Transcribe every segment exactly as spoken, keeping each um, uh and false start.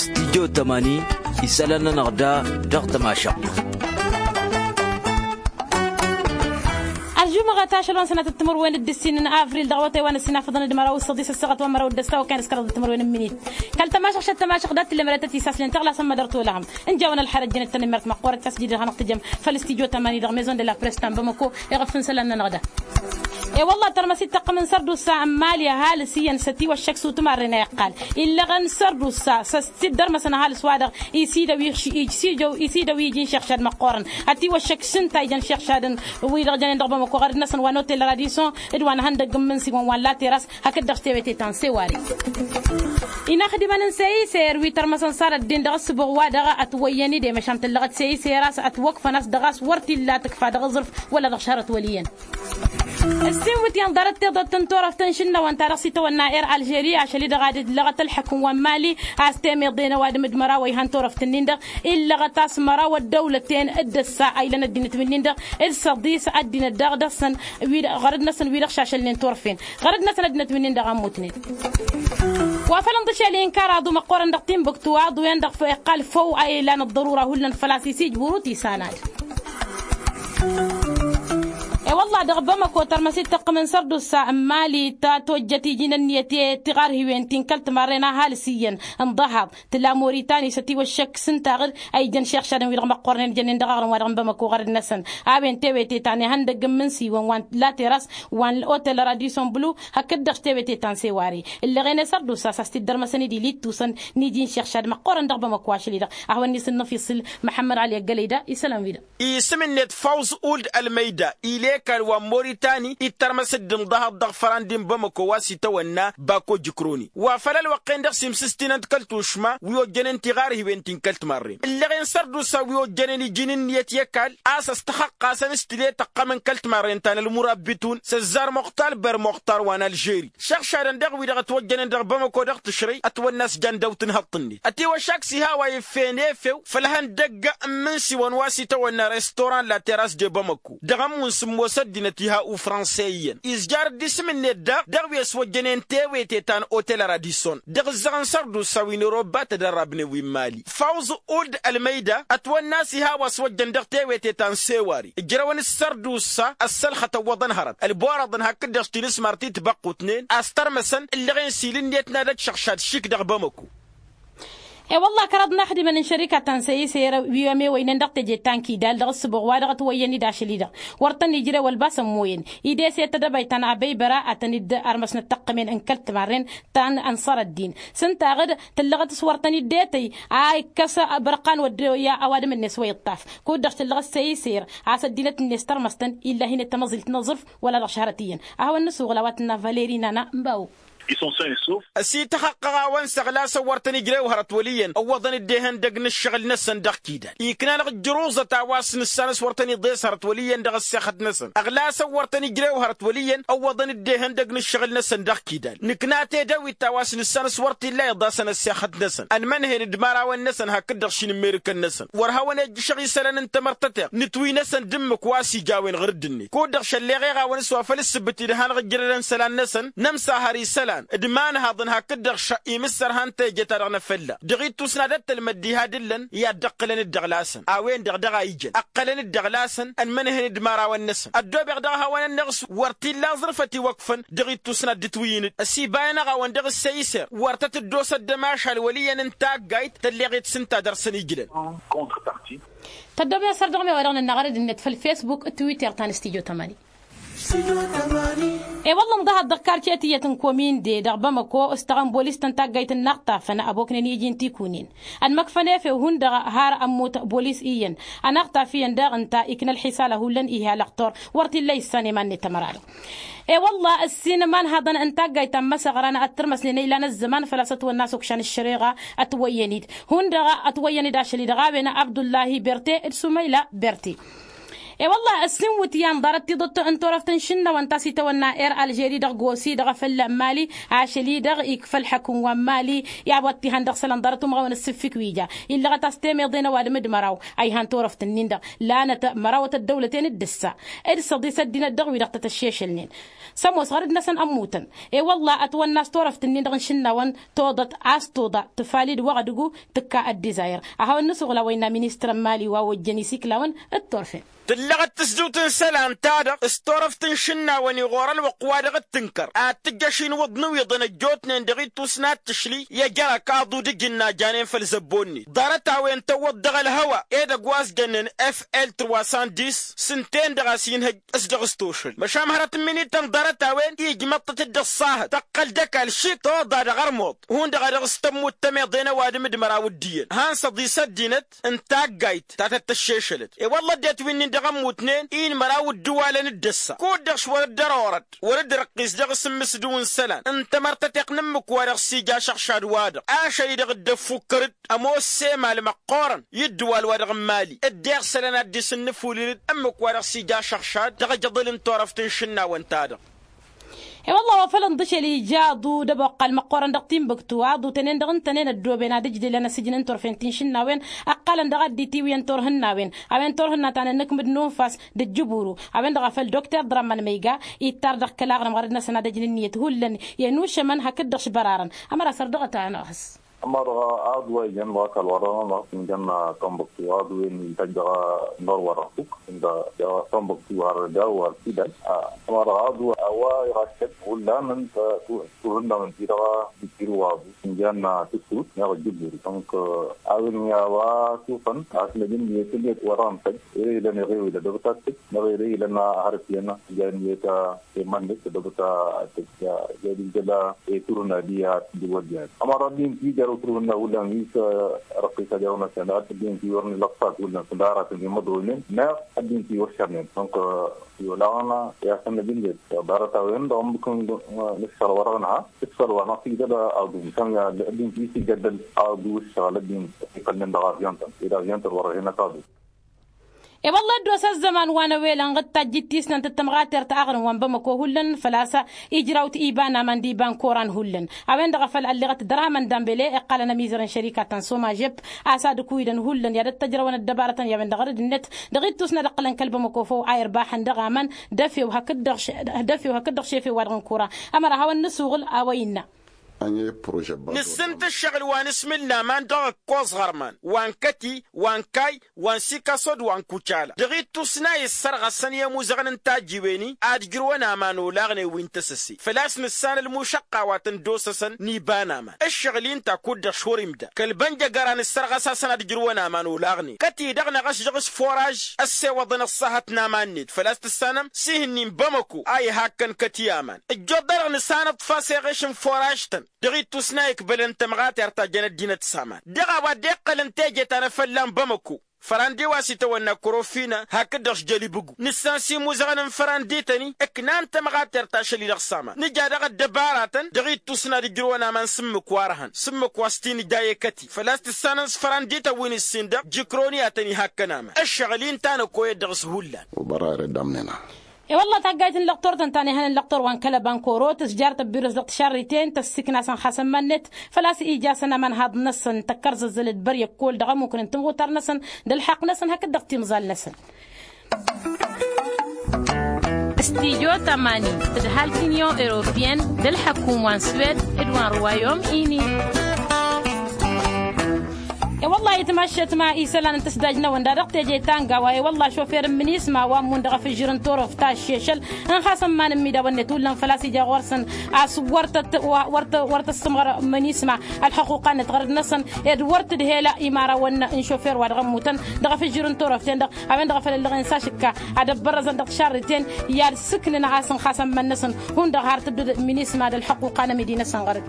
Studyo tămani isălan-nănăɣ da dăɣ-tămašăɣt. Ălžumăɣăt ašăl wa n-sănatăt timǝrwen d-ǝssin n-avril dăɣ-awătay wa n-ǝssin afǝḍăn d-măraw s-săḍis ăssaɣăt wa n-măraw d-ăstaw kan s-kăraḍ d-timǝrwen n-minit. Kăl-tămašăɣt šăt tămašăɣt dat-tǝllemădăt isaslen tăɣlasăn mădăr tolăhăm. Ǝnjawăn ălxărăt jănăt-tăn imărt măqqoorăt s-a-s jidăd hanăɣ-tǝjăm făll-studyo tămani dăɣ-maison de la press ta n-bamăko. Iɣăf n-isălan-nănăɣ da. E-wălla-ɣ tărmăsit taqqǝm n-sărdusa n-mali ăhalǝs iyyăn s-ătiwăššăk s-utumărren a iqqal. Illăɣăn sărdusa s-ăsidărmăsăn ăhalǝs-wa-dăɣ isidăw ijǝn šăɣšad măqqoorăn. Ătiwăššăk s-ǝnta ijăn šăɣšadăn wi-dăɣ jănen dăɣ-bamăko ɣărăd-năsăn wa n-otel radison d-wa n-ihăndăgg n-imǝnsiwăn wa n-lateras. Hakd-dăɣ s-tewete ta n-seware inaxdimăn n-seyiser wi tărmăsăn sarăt-din dăɣ-ǝssǝbuɣ-wa-dăɣ ătwăyyăn-dd i-măšan tǝllăɣăt seyiser a-s ătwăkfăn a-s dăɣ-a-s wăr t-illa tǝkfa dăɣ-aẓrǝf wăla dăɣ-šărăt wăl' iyyăn. Ǝssin wi t-inḍarăt tiḍăt n-turăft n-išǝnnăwăn ta dăɣ-s itawănna er alžeri ašăl-i-dăɣ ad-dd-lăɣăt ălḥăkk n-wa n-mali a-s temeḍe n-ăwadǝm d-măraw a ihan turăft-nin-dăɣ illăɣăt a-s măraw ăddăwlăten d-ăssa a ilăn ăddinăt-win-nin-dăɣ d-săḍis ăddinăt daɣ dăɣ-săn wi-dăɣ ɣărăd-năsăn wi-dăɣ šašălnen turfen. Ɣărăd-năsăn ăddinăt-win-nin-dăɣ a ămmutnen wa făl ǝnḍǝšel i n-karaḍu măqqoorăn dăɣ-timbuktu aḍu-en-dăɣ iqqal făw a ilan ăḍḍărura hullan făl-a-s isijbǝru tisanad. E-wălla-ɣ dăɣ-bamăko tărmăsit tăqqǝm n-sărdusa n-mali ta tojjăt iji n-ǝnniyăt i-tiɣarhiwen ti n-kăl-timarren a ăhalǝs iyyăn n-ḍăhaḍ tǝla moritani s-ătiwăššăk s-ǝntaɣ-dd a ijăn šixšadăn wi-dăɣ măqqoornen jănnen dăɣ-aɣrǝm wa dăɣ-n bamăko ɣărăd-năsăn. A-wen tewăte ta n-ihăndăgg n-imǝnsiwăn wa n-lateras wa n-otel radison blu hakd-dăɣ s-tewăte ta n-seware. Ǝlleɣen i-sărdusa s-a-s t-dd-ărmăsăn-dd ili ittusăn n-iji n-šixšad măqqoorăn dăɣ-bamăko ašăl-i-dăɣ. Ahwăn-ni s-ǝnnăfiṣǝl măḥămmăd ăli ăggălăy da isălan-wi-dăɣ. Isǝm-net fawẓ uld ălmăyda ile ăkall wa n-moritani ittărmăs-dd n-ḍăhăḍ dăɣ-făran d-inbămăko wa s-itawănna bako jǝkroni wa făl ălwăqq-en-dăɣ s-imsǝstinăn-t kăl-tušma wi ojjănen tiɣarhiwen ti n-kăl-timarren ǝlleɣen sărdusa wi ojjănen iji n-ǝnniyăt i-ăkall a-s ăstăxăqqasăn s-tǝle tăqqăm n-kăl-timarren ta n-ălmurabitun s-ăzzar muxtar ber muxtar wa n-alžeri. Šăɣšadăn dăɣ-wi-dăɣ ătwăjjănen dăɣ-bamăko dăɣ-tǝšrăy ătwănna s-jan dăw-tǝnhăḍt-net ătiwăššak s-iha a-wa iffen efew făll-ihăndăgg n-imǝnsiwăn wa s-itawănna restoran la teras de bamăko dăɣ-ămmun sǝmmos ăddinăt iha ufranse iyyăn izjar-dd isǝm-net daɣ dăɣ-wi ăswăjjănen tewete ta n-otel radison dăɣ-ǝzzăɣăn sărdusa wi n-erobba tădărrabnen wi n-mali fawẓ uld ălmăyda ătwănna a-s iha a-wa ăswăjjăn dăɣ-tewete ta n-sewari ǝjrăwăn d-sărdusa ăssălxăt ăwwăḍăn hărăt ălborăḍăn hakd-dăɣ s-tinǝsmar ti tibăqqutnen a-s tărmăsăn ǝllăɣen s-ilǝnnet n-ad-ăj šăɣšad šik dăɣ-bamăko. E-wălla-ɣ kăraḍ n-axdimăn n-šărika ta n-săyise wi ămewăynen dăɣ-teje ta n-kidal dăɣ-ǝssǝbuɣ wa dăɣ-ătwăyyăn-dd ašăl-i-dăɣ wăr tăn-ijrew ălbas ămmoyăn. Ed eset ădăbayt ta n-abăybăra a tăn-dd-ărmăsnăt tăqqǝmen n-kăl-timarren ta n-ănṣăr ăddin s-ǝnta aɣǝd tǝllăɣăt s-wăr tăn-dd-etăy a ikkăs bărqan wăddoya ăwadǝm-net wa iṭṭaf kud-dăɣ tǝllăɣăt săyiser a-s ăddinăt-net tărmăstăn illa hin-e tamăẓilt n-aẓrǝf wăla dăɣ-šăhrăt iyyăn. A hawăn-nǝsuɣǝl a-wa tǝnna valeri nana n-bawo. Ăsităxăqqăɣ-awăn s-ăɣlasăn wăr tăn-ijrew hărăt wăl' iyyăn ǝwwăḍăn-dd ehăndăg n-ǝššăɣǝl-năsăn dăɣ-kidal ikna-năɣ ǝjruẓăt a-wa s-nǝssan s-wăr tăn-iḍes hărăt wăl' iyyăn dăɣ-ăssexăt-năsăn ăɣlasăn wăr tăn-ijrew hărăt wăl' iyyăn ǝwwăḍăn-dd ehăndăg n-ǝššăɣǝl-năsăn dăɣ-kidal nǝkna tedăwit ta wa s-nǝssan s-wăr t-illa iḍasăn ăssexăt-năsăn ănmănhen d-imărawăn-năsăn hakd-dăɣ šinǝmmerǝkăn-năsăn wăr hawăn-ejjǝšăɣ isălan n-tamărtăteɣt nǝtwǝy-năsăn d-ǝmmǝk wa s-ijawen ɣǝr-dd-net kud-dăɣ šălleɣ eɣawăn s-wa făl ǝssǝbǝt-dd hanăɣ-ǝjrădăn isălan-năsăn nămsahăr isălan d-imanhaḍăn hakd-dăɣ šăɣ imǝssărhan teje-ta-dăɣ n-afălla dăɣ-ittus n-ad-ăttălmăd diha d-ǝllăn i-ad-dd-ǝqqǝlăn-dd dăɣ-lasăn a-wen-dăɣ daɣ a ijăn ǝqqălăn-dd dăɣ-lasăn ănmănhen d-imărawăn-năsăn ăddoobeɣ daɣ hawăn-ănneɣ s-wăr t-illa aẓrǝf ătiwăkfăn dăɣ-ittus n-ad-dd-ǝtwǝyǝn-dd ăsibay-anăɣ-awăn dăɣ-ǝssăy iser wăr tăt-dd-osa ăddămašal wăl' iyyăn n-taggayt tălleɣet s-ǝnta dăr-săn ijlăn. Tăddoobnen săr dăɣ-mewa dăɣ-nănna ɣărăd-net făll-fesbuk d-twitter ta n-studyo tămani. E-wălla ǝnḍăhăt dăɣ-karce tiyyăt n-kominde dăɣ-bamăko ǝstăɣăn bolis-tăn taggayt n-inaɣtafăn ăboknen i-iji n-tikunen ănmăkfăn efew hundăɣ har ămmut bolis iyyăn ănaɣtaf iyyăn daɣ ǝnta ikna ălxisal a hullan ihi alăɣtor wăr t-illa issan i-iman-net ămăra-dăɣ. E-wălla ǝssin imanhaḍăn n-taggayt ta n-imăsăɣran ad-tărmăsnen ilan ăzzăman făl-a-s ătwănna s-okšan ăššăreɣa ătwăyyăn-dd hundăɣ ătwăyyăn-dd ašăl-i-dăɣ a-wen abdullahi berte d-sumăyla berte. E-wălla ăssiinwǝt i-ănḍarăt tiḍǝt n-turăft n-išǝnnawăn ta s-itawănna er alžeri dăɣ-gosi dăɣ-afăl mali, ašăl-i-dăɣ ikfa ălḥăkǝm wa n-mali i-a-wa t-ihăn dăɣ-isălan ḍarăt umăɣăwăn ǝssǝffǝk wi ja illăɣăt a-s temeḍe n-ăwadǝm d-măraw a ihan turăft-nin-dăɣ. Lanăt mărawăt ăddăwlăten d-ǝssa d-săḍis ăddinăt dăɣ-wi-dăɣ tăt-ăššešălnen. S-ămoos ɣărăd-năsăn ămmutăn. E-wălla ătwănna s-turăft-nin-dăɣ n-išǝnnawăn toḍăt a-s tuḍa tǝfali d-wăɣ dăgg-u tǝkka ăddizayăr. A hawăn-nǝsuɣǝl a-wa innă ministăr n-mali wa ojjăn isiklawăn d-turfen. Tǝllăɣăt tǝsdǝwt n-isălan-ta-dăɣ s-turăft n-išǝnnawăn iɣur-ălwăqq wa dăɣ-tǝnkăr ad-tǝjjăš inwǝḍ n-iwiḍăn ăjjootnen dăɣ-ittus n-ad-tǝšli i-ăjărak aḍu d-ijǝnna janen făll-zăbbo-net ḍarăt-a-wen tăwwăḍ dăɣ-ălhăwa edăgg wa s-jănnen fl trwa săndis s-ǝnta-en-dăɣ a-s inhăj s-dăɣ-s tošăl măšan hărăt n-iminittăn ḍarăt-a-wen ijmăḍ-tăt-dd ăṣṣahăt tăqqăl d-ăkall šik toḍa dăɣ-ărmuḍ hundăɣ a dăɣ-s tămmut tămeḍe n-ăwadǝm d-măraw d-iyyăn han săḍis ăddinăt ǝnta a ăggayt ta tăt-tăššešălăt. I-wălla ăddinăt wi-nin-dăɣ ămmutnen i-inmăraw ǝddǝwalăn d-ăssa kud-dăɣ s-wăr dd-ărorăd wăr dd-răqqis dăɣ-s ǝmmǝsdǝw n-isălan n-tamărtăteɣt n-ǝmmǝk-wa-dăɣ s-ija ašăɣšad-wa-dăɣ ašăl-i-dăɣ dd-ăffukkăr-dd ămoos s-emal măqqoorăn i-ǝddǝwal-wa-dăɣ n-mali dd-iɣsălăn ad-dd-isǝnnǝfulǝl-dd ǝmmǝk-wa-dăɣ s-ija ašăɣšad dăɣ-ajăḍǝl n-turăft n-išǝnnawăn-ta-dăɣ. I-wălla wa făl ǝnḍǝšel ija aḍu d-ăboqqal măqqoorăn dăɣ-tinbǝktu aḍu tănen-dăɣ ǝntănen ăddooben ad-ǝjdǝlăn asǝjǝn n-turfen ti n-išǝnnawen ǝqqălăn dăɣ-addit iwǝyăn turhǝnnawen a-wen turhǝnna ta n-anǝkmǝd n-unfas d-ǝjjǝburu a-wen-dăɣ a făl dokter ḍrămmăn măyga ittar dăɣ-kăla aɣrǝm ɣărăd-năsăn ad-ăjn ǝnniyăt hullan i-ănušămăn hakd-dăɣ s-bărarăn. Ămăra săr dăɣ-ătanăɣ a-s ămăra aḍu a ijăn dăɣ-ăkall wa dăɣ-nănăɣ s-injăn tonbăktu aḍu-en ităjj dăɣ-năr wa dăɣ-fuk ǝnta dăɣ-tonbăktu har daw har tidal. Ămăra aḍu a-wa iɣaššăt hullan ǝnta turhǝnna mǝnti dăɣ-dikir wa aḍu s-injăn tǝssut neɣ ǝjjǝburi donc a-wen i-a-wa sufăn a-s năj ǝnniyăt ǝnniyăt wa dăɣ-nǝtăjj ere ilăn iɣew ila dăɣ-tattǝk neɣ ere ilăn hărăt iyyăn ija ǝnniyăt iman-net dăɣ-ta tǝjja jadǝl jăla. Turhǝnna diha tǝjjǝl wăr diha ămăra ăddin ti jăr turhǝnna hullan wi s-răqqis ad-iɣnăsăn ăddin ti wăr nǝlăqqat hullan s-ănda aratăn imăḍroynen neɣ ăddin ti wăr šărnen donc i-olaɣăn i-ad-săn năj ǝnniyăt ḍarăt-a-wen dăɣ-ǝmmǝk n-ǝššăɣǝl wa dăɣ-nǝha ǝššăɣǝl wa năɣ-tijjăl aḍu măšan ăddin ti s-ijjăddăl aḍu ǝššăɣǝl ăddin iqqălnen dăɣ-avyăn-tăn ed avyăn-tăn wăr-ăhenăt aḍu. E-wălla ăddos ăzzăman wa n-ewelăn ɣǝd tajjit tisnant d-tămɣatert aɣrǝm wa n-bamăko hullan făl-a-s ijrawt iba n-aman d-iba n-koran hullan. A-wen-dăɣ a făl ălleɣăt dd-răhmăn dambele iqqalăn ămizăr n-šărikatăn s-omajep a-s ad-ǝkuwidăn hullan i-ad-ăttăjrăwăn ăddăbarătăn i-a-wen-dăɣ ărǝd-net dăɣ-ittus n-ad-ǝqqǝlăn kăl-bamăko făw a irbaxăn dăɣ-aman d-efew hakd-dăɣ šefew wa dăɣ-n kura. Ămăra a hawăn-nǝsuɣǝl a-wa innă. Nǝssǝnt ǝššăɣǝl wa n-asmǝl n-aman dăɣ-ǝkkoẓ ɣărman wa n-kăti wa n-kay wa n-sikasod wa n-kucala dăɣ-ittus n-a issărɣăsăn i-ămuzăɣăn n-tajjiwen-i ad-ǝjrǝwăn aman olaɣnen wi n-tăsăse făl-a-s nǝssan ălmušăqqa wa tăn-dd-osăsăn n-iba n-aman. Ǝššăɣǝl-i ǝnta kud-dăɣ šor imda kăl-bănjăgăra nǝssărɣăs-asăn ad-ǝjrǝwăn aman olaɣnen kăt-i-dăɣ năɣ-ăšžăɣ s-foraj ăssewăḍăn ăṣṣahăt n-aman-net făl-a-s tǝssanăm s-ihǝnnin bamăko a ihakkăn kăt-i aman. Ǝjjoḍ-dăɣ nǝssanăḍ fas eɣeš n-foraj-tăn dăɣ-ittus n-a ikbălăn tămɣatert ta jăn ăddinăt s-aman dăɣ-a-wa dd-iqqălăn teje ta n-efăllan bamăko fărandi wa s-itawănna korofină hakd-dăɣ s-jălibǝgu nǝssan s-imuzăɣăn n-fărandi-tăn-i ǝknan tămɣatert ašăl-i-dăɣ s-aman nǝja dăɣ-ăddăbaratăn dăɣ-ittus n-ad-ǝjrǝwăn aman s-ǝmmǝk wa ărhăn s-ǝmmǝk wa s-t-inǝja i-kăti făl-a-s tǝssanăn s-fărandi-tăn wi n-ǝssin dăɣ-jikroni a tăn-ihakkăn aman ǝššăɣǝl-i ǝnta n-ăkoyăt dăɣ-s hullan. Ubăra ere d-amnena. E-wălla taggayt n-lăqtor tăn-tanehăn n-lăqtor wa n-kălăba n-koro tǝzjar tăbbirǝs dăɣ-tišarriten tăssǝkna-săn xasăn iman-net făl-a-s ija-săn aman haḍ-năsăn tăkkărzăzzălăt băryăkkol dăɣ-ămmukăn n-timɣutar-năsăn d-ălḥăqq-năsăn hakd-dăɣ timẓal-năsăn. Studyo tămani tǝdhal tiniyo europiyăn d-ălḥăkkum wa n-swed d-wa n-ruwayom ini. E-wălla-hi tǝmaššet ma isălan n-tǝsdaj-năwăn da dăɣ-teje ta n-gawa e-wălla šofer n-minisma wa ǝmmun dăɣ-afǝžžǝr n-turăft ta ăššešăl n-xasăn iman n-imidawăn-net hullan făl-a-s ija ɣur-săn a-s wăr tăt-wăr tăssǝmɣăr minisma ălxăquqa-net ɣărăd-năsăn ed wăr tǝdhel imarawăn n-šofer wa dăɣ-ămmutăn dăɣ-afǝžžǝr n-turăft-en-dăɣ a-wen-dăɣ a făl ăllăɣen s-ašǝkka ad-ăbbărrăzăn dăɣ-tišarriten i-ad-sǝknǝn a-s n-xasăn iman-năsăn hundăɣ har tǝbdǝd minisma d-ălxăquqa n-amidi-năsăn ɣărăd.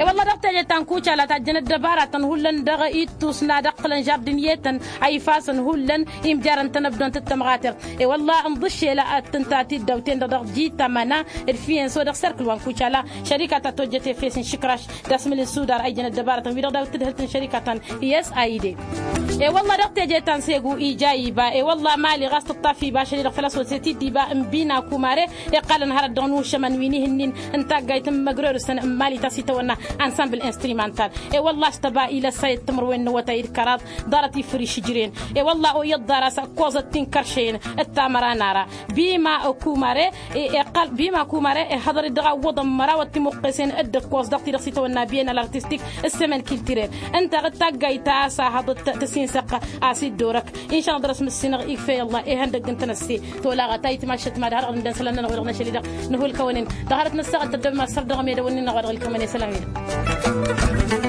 E-wălla dăɣ-teje ta n-kucala tajjăn ăddăbaratăn hullan dăɣ-i tusna d-ăqqǝlăn žardǝn i-etăn a ifasăn hullan imjarăn tanăbdont d-tămɣatert. E-wălla ǝnḍǝššel ad-tǝnta tiddawten-dăɣ dăɣ-jitămăna d-fiyenso dăɣ-serkǝl wa n-kucala šărika ta tojjăt efes n-išǝkraš d-asmǝl n-sudar a ijăn ăddăbarătăn-wi-dăɣ daw-t tǝdhǝlt n-šărika ta n-i s a ide. E-wălla dăɣ-teje ta n-segu ija iba e-wălla mali ɣas tǝṭṭaf iba ašăl-i-dăɣ făl-a-s wăr se-t-dd-iba n-bina kumare. Iqqalăn hărăt dăɣ-nušămăn wi n-ihǝnnin n-taggayt n-imăgrerusăn n-mali ta s-itawănna ansambil instrumantal. E-wălla a-s tăba ila ăssayăt timǝrwen n-awătay d-kăraḍ ḍarăt ifriš ǝjren. E-wălla oyyăt ḍarăt ăkkoẓăt ti n-kăršăyăn d-tamăra n-ara bima kumare. Iqqal bima kumare ihăḍăr-dd dăɣ-a ǝwwăḍăn mărawăt timuqqesen d-ǝkkoẓ dăɣ-ti-dăɣ s-itawănna biyen alartistik s-semen kiltirel. Ǝnta ad-taggayt ta a-s a hăḍăt tǝsinsăɣ a-s dd-orăk. Inša-năɣ dăr-s mǝssinăɣ igfey ăllah ihăndăgg n-tănăsse tolaɣăt a itmašăt mad-hărăɣ ǝndăn isălan-nănăɣ wa dăɣ-năšăl-i-dăɣ. Nǝhu ǝlkăwăn-in dăɣ-hărăt nǝssaɣăl tăddăbem assăr dăɣ-medăwăn-in-năɣ wa dăɣ-ǝlkămăn i-isălan-wi-dăɣ.